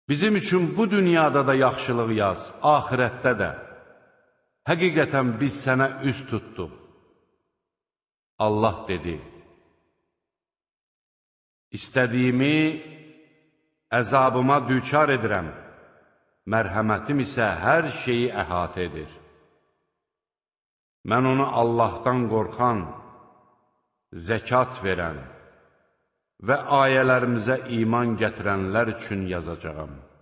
Bizim üçün bu dünyada da yaxşılıq yaz, axirətdə də. Həqiqətən biz sənə üz tutduq. Allah dedi, İstədiyimi əzabıma düçar edirəm, mərhəmətim isə hər şeyi əhatə edir. Mən onu Allahdan qorxan, zəkat verən və ayələrimizə iman gətirənlər üçün yazacağam.